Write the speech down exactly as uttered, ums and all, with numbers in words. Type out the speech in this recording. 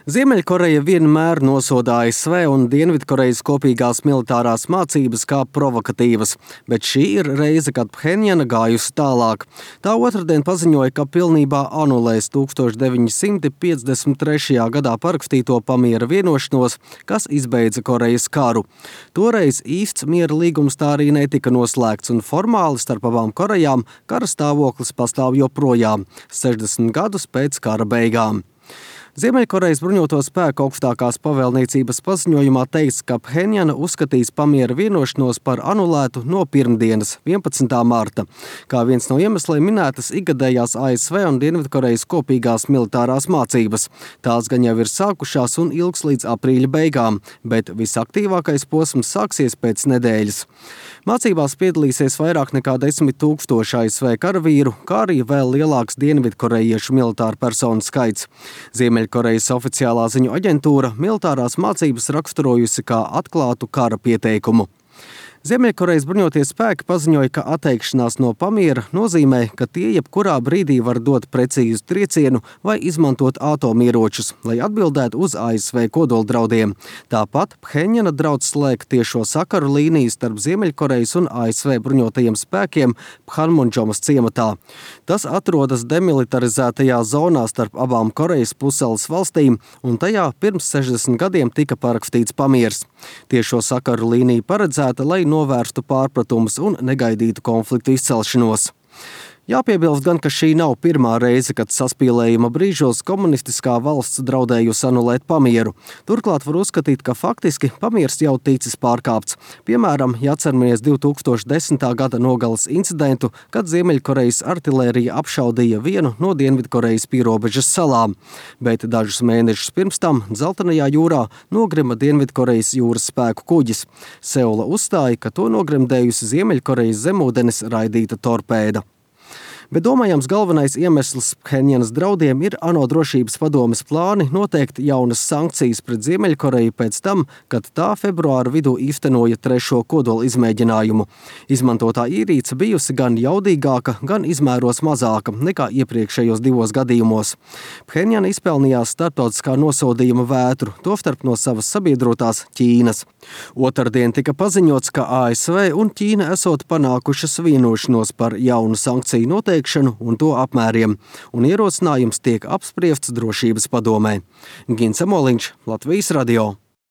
Ziemeļkoreja vienmēr nosoda A S V un Dienvidkorejas kopīgās militārās mācības kā provokatīvas, bet šī ir reize, kad Phenjana gājusi tālāk. Tā otrdien paziņoja, ka pilnībā anulēs tūkstoš deviņi simti piecdesmit trešajā gadā parakstīto pamiera vienošanos, kas izbeidza Korejas karu. Toreiz īsts miera līgums tā arī netika noslēgts, un formāli starp abām Korejām kara stāvoklis pastāv joprojām, sešdesmit gadus pēc kara beigām. Ziemeļkorejas bruņoto spēku augstākās pavēlniecības paziņojumā teikts, ka Phenjana uzskatīs pamiera vienošanos par anulētu no pirmdienas, vienpadsmitā marta. Kā viens no iemesliem minētas ikgadējās A S V un Dienvidkorejas kopīgās militārās mācības. Tās gan jau ir sākušās un ilgs līdz aprīļa beigām, bet visaktīvākais posms sāksies pēc nedēļas. Mācībās piedalīsies vairāk nekā desmit tūkstoši A S V karavīru, kā arī vēl lielāks dienvidkorejiešu militāru personu skaits. Ziemeļkorejas oficiālā ziņu aģentūra militārās mācības raksturojusi kā atklātu kara pieteikumu. Ziemeļkorejas bruņotie spēki paziņoja, ka atteikšanās no pamiera nozīmē, ka tie jebkurā brīdī var dot precīzu triecienu vai izmantot atomieročus, lai atbildētu uz A S V kodoldraudiem. Tāpat Phenjana draudz slēgt tiešo sakaru līniju starp Ziemeļkorejas un A S V bruņotajiem spēkiem Phanmunjomas ciematā. Tas atrodas demilitarizētajā zonā starp abām Korejas pussalas valstīm, un tajā pirms sešdesmit gadiem tika parakstīts pamiers. Tiešo sakaru līnija paredzēta, lai novērstu pārpratumus un negaidītu konfliktu izcelšanos. Jāpiebilst gan, ka šī nav pirmā reize, kad saspīlējuma brīžos komunistiskā valsts draudējusi anulēt pamieru. Turklāt var uzskatīt, ka faktiski pamiers jau ticis pārkāpts. Piemēram, jāatceramies divi tūkstoši desmitā gada nogales incidentu, kad Ziemeļkorejas artilērija apšaudīja vienu no Dienvidkorejas pierobežas salām. Bet dažus mēnešus pirms tam Dzeltenajā jūrā nogrima Dienvidkorejas jūras spēku kuģis. Seula uzstāja, ka to nogremdējusi Ziemeļkorejas zemūdenes raidīta torpēda. Bet domājams galvenais iemesls Phenjanas draudiem ir ANO drošības padomes plāni noteikt jaunas sankcijas pret Ziemeļkoreju pēc tam, kad tā februāra vidū īstenoja trešo kodola izmēģinājumu. Izmantotā ierīce bijusi gan jaudīgāka, gan izmēros mazāka nekā iepriekšējos divos gadījumos. Phenjana izpelnījās starptautiskā nosodījuma vētru, tostarp no savas sabiedrotās Ķīnas. Otrdien tika paziņots, ka A S V un Ķīna esot panākušas vienošanos par jaunu sankciju noteikšanu un to apmēriem, un ierosinājums tiek apspriests drošības padomē. Gins Amoliņš, Latvijas radio.